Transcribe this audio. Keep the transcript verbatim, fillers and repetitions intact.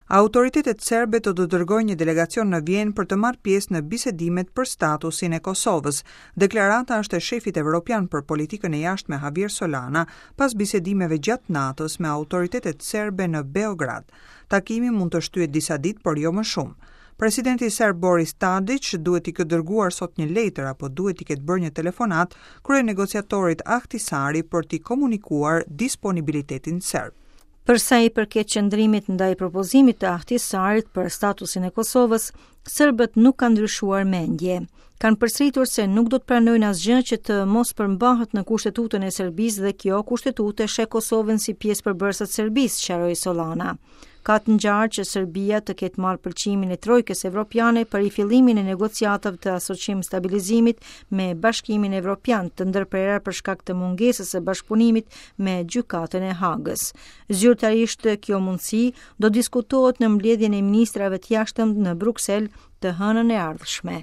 Autoritetet serbe do të dërgojnë një delegacion në Vjenë për të marrë pjesë në bisedimet për statusin e Kosovës. Deklarata është e shefit evropian për politikën e jashtme, Javier Solana, pas bisedimeve gjatë natës me autoritetet serbe në Beograd. Takimi mund të shtyhet disa ditë, por jo më shumë. Presidenti serb Boris Tadic duhet t'i ketë dërguar sot një letër apo duhet t'i ketë bërë një telefonat kryenegociatorit Ahtisaari për t'i komunikuar disponibilitetin serb. Për sa i përket qëndrimit ndaj propozimit të Ahtisaarit për statusin e Kosovës, serbët nuk kanë ndryshuar mendje. Kanë përsëritur se nuk do të pranojnë asgjë që të mos përmbahet në kushtetutën e Serbisë dhe kjo kushtetutë e sheh Kosovën si pjesë përbërëse të Serbisë, sqaroi Solana. Ka të ngjarë që Serbia të ketë marrë pëlqimin e Trojkës Evropiane për rifillimin e negociatave të asociim stabilizimit me Bashkimin Evropian, të ndërprera për shkak të mungesës së bashkëpunimit me Gjykatën e Hagës. Zyrtarisht, kjo mundësi do diskutohet në mbledhjen e ministrave të jashtëm në Bruksel të hënën e ardhshme.